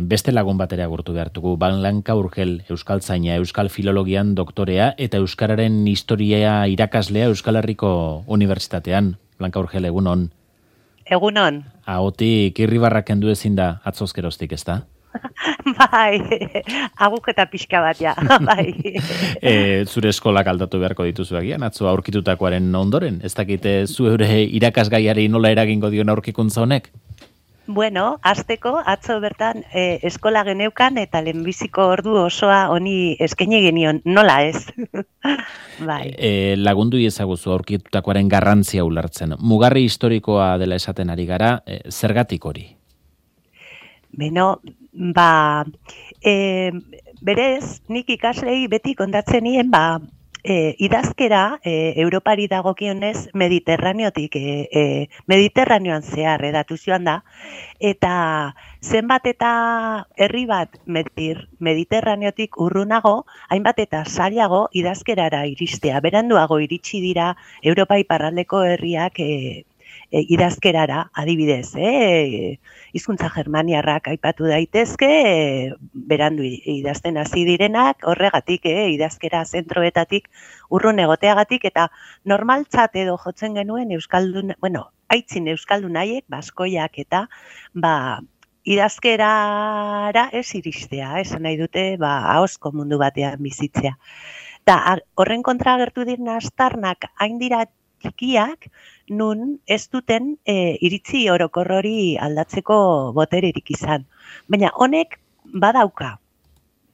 Beste lagun batera agurtu behartugu, Blanca Urgel, euskaltzaina, euskal filologian doktorea eta euskararen historia irakaslea Euskal Herriko Unibertsitatean. Blanca Urgel, egunon. Egunon. Ahotik irribarrak kendu ezin da atzozkeroztik, ezta? Bai, aguketa pixka bat, ja, bai. Zure eskolak aldatu beharko dituzu agian, atzo aurkitutakoaren ondoren. Ez dakite zure irakasgaiari nola eragingo dion aurkikuntza honek? Bueno, hasteko atzo bertan eskola geneukan eta lehenbiziko ordu osoa honi eskaini genion, nola ez? Bai. Lagundu iezaguzu aurkitutakoaren garrantzia ulertzen. Mugarri historikoa dela esaten ari gara, zergatik hori? Beno, berez, nik ikaslei beti kontatzen nien, idazkera Europari dagokionez Mediterraneotik, Mediterraneoan zehar edatu joan da, eta zenbat eta herri bat Mediterraneotik urrunago, hainbat eta zailago idazkerara iristea. Beranduago iritsi dira Europa iparraldeko herriak idazkerara, adibidez, hizkuntza germaniarrak aipatu daitezke, berandu idazten hasi direnak, horregatik, idazkera zentroetatik urrun egoteagatik, eta normaltzat edo jotzen genuen aitzin euskaldun haiek, baskoiak eta, idazkerara ez iristea, esan nahi dute, ahozko mundu batean bizitzea. Eta horren kontra agertu diren aztarnak hain dira txikiak, nun ez duten iritzi orokor hori aldatzeko botererik izan. Baina honek badauka,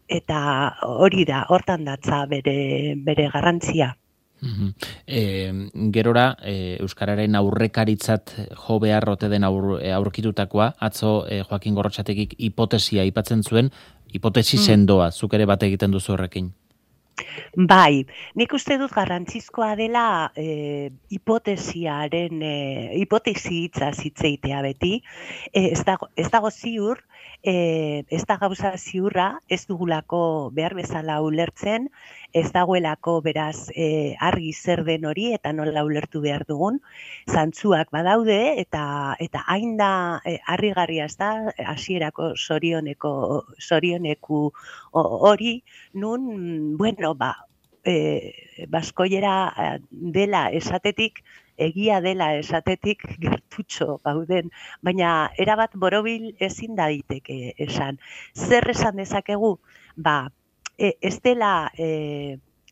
eta hori da, hortan datza bere garrantzia. Gerora, euskararen aurrekaritzat jo behar ote den aurkitutakoa, atzo Joakin Gorrotxategik hipotesia aipatzen zuen, hipotesi sendoa, zuk ere bat egiten duzu horrekin. Bai, nik uste dut garrantzizkoa dela hipotesi hitza zitzeitea beti, ez dago ziur, ez da gauza ziurra, ez dugulako behar bezala ulertzen, ez dagoelako beraz argi zer den hori eta nola ulertu behar dugun, zantzuak badaude eta hain da harrigarria ez da hasierako zorioneku hori, nun, baskoiera dela esatetik, egia dela esatetik gertutxo gauden, baina erabat borobil ezin da daiteke esan. Zer esan dezakegu? Ez dela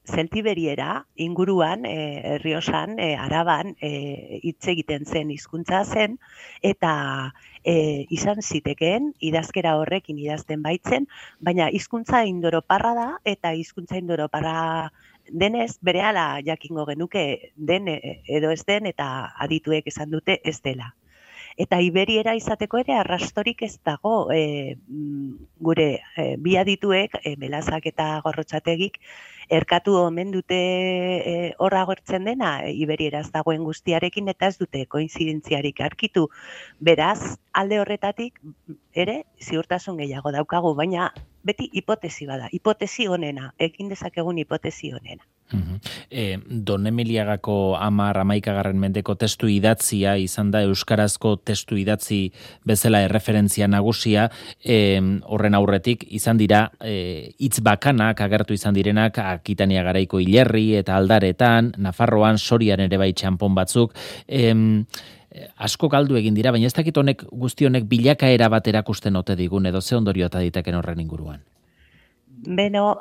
Zeltiberiera inguruan, Errioxan, Araban hitz egiten zen hizkuntza zen, eta izan zitekeen idazkera horrekin idazten baitzen, baina hizkuntza indoroparra da, eta hizkuntza indoroparra denez, berehala jakingo genuke den edo ez den, eta adituek esan dute ez dela. Eta iberiera izateko ere arrastorik ez dago, gure bi adituek, Belazak eta Gorrotxategik, erkatu omen dute horra agertzen dena, iberieraz dagoen guztiarekin, eta ez dute koinzidentziarik arkitu. Beraz, alde horretatik ere ziurtasun gehiago daukagu, baina beti hipotesi bada, hipotesi honena, ekin dezakegun hipotesi honena. Don Emiliagako 10-11 mendeko testu idatzia izan da euskarazko testu idatzi bezala erreferentzia nagusia, horren aurretik izan dira hitz bakanak agertu izan direnak Akitania garaiko hilerri eta aldaretan, Nafarroan Sorian ere bai txanpon batzuk, asko galdu egin dira, baina ez dakit honek guzti honek bilakaera bat erakusten ote digun edo ze ondorio eta diteken horren inguruan. Beno,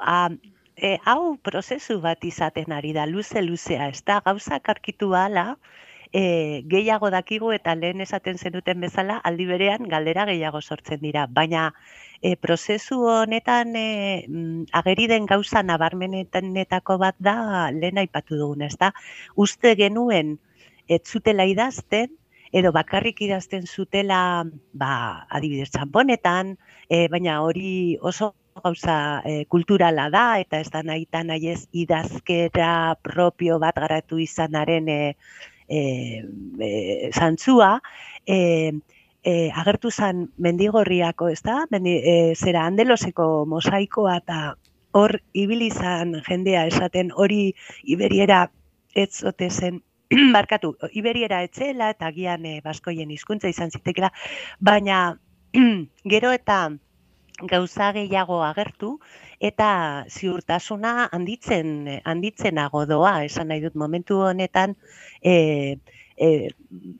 hau prozesu bat izaten ari da, luzea, ez da, gauzak arkitu ahala, gehiago dakigu eta lehen esaten zenuten bezala, aldi berean galdera gehiago sortzen dira. Baina prozesu honetan ageri den gauza nabarmenetako bat da lehen aipatu duguna, ez da, uste genuen ez zutela idazten, edo bakarrik idazten zutela, adibidez txanponetan, baina hori oso gauza kulturala da, eta ez da nahi ez idazkera propio bat garatu izanaren zantzua, agertu zen Mendigorriako, ez da? Zera Andeloseko mosaikoa eta hor ibili izan jendea esaten hori iberiera ez ote zen, barkatu, iberiera etzela eta agian baskoien hizkuntza izan zitekela, baina gero eta gauza gehiago agertu eta ziurtasuna handitzenago doa, esan nahi dut momentu honetan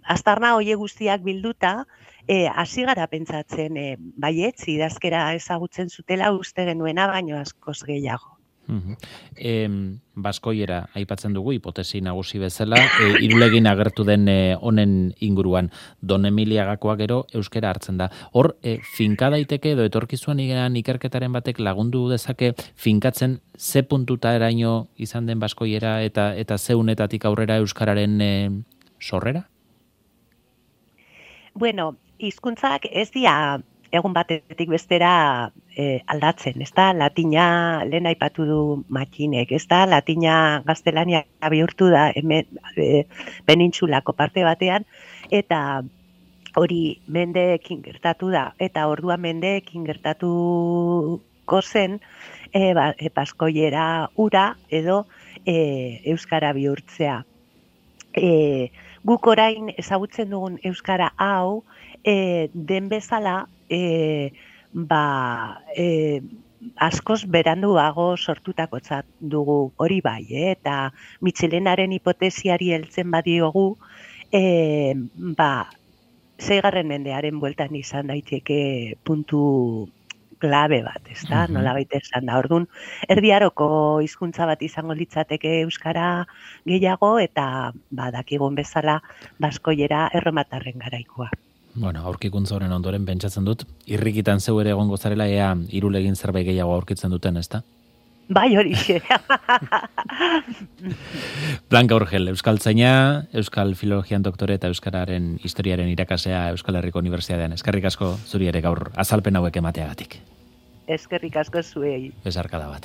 aztarna hoie guztiak bilduta hasi gara pentsatzen baietz idazkera ezagutzen zutela uste genuena baino askoz gehiago. Baskoiera aipatzen dugu hipotesi nagusi bezala, Irulegin agertu den honen inguruan, Don Emiliagakoa gero euskera hartzen da. Hor, finka daiteke edo etorkizuan ikerketaren batek lagundu dezake finkatzen ze puntuta eraino izan den baskoiera eta ze unetatik aurrera euskararen sorrera? Bueno, hizkuntzak ez dira egun batetik bestera aldatzen, ez da, latina lehen aipatu du Matxinek, ez da, latina gaztelania bihurtu da penintsulako parte batean, eta hori mendeekin gertatu da, eta orduan mendeekin gertatuko zen baskoiera ura edo euskara bihurtzea. Guk orain ezagutzen dugun euskara hau, den bezala, askoz beranduago sortutakotzat dugu hori bai, eta Mitxelenaren hipotesiari heltzen badiogu, 6. mendearen bueltan izan daiteke puntu klabe bat, ez da, nolabait esan da. Orduan, erdiaroko hizkuntza bat izango litzateke euskara gehiago, eta dakigun bezala baskoiera erromatarren garaikoa. Bueno, aurkikuntza horren ondoren pentsatzen dut, irrikitan zeu ere egongo zarela ea Irulegin zerbait gehiago aurkitzen duten, ezta? Bai, horixe. Blanca Urgel, euskaltzaina, euskal filologian doktore eta euskararen historiaren irakasea Euskal Herriko Unibertsitatean. Eskerrik asko zuri ere gaur azalpen hauek emateagatik. Eskerrik asko zuei. Besarkada bat.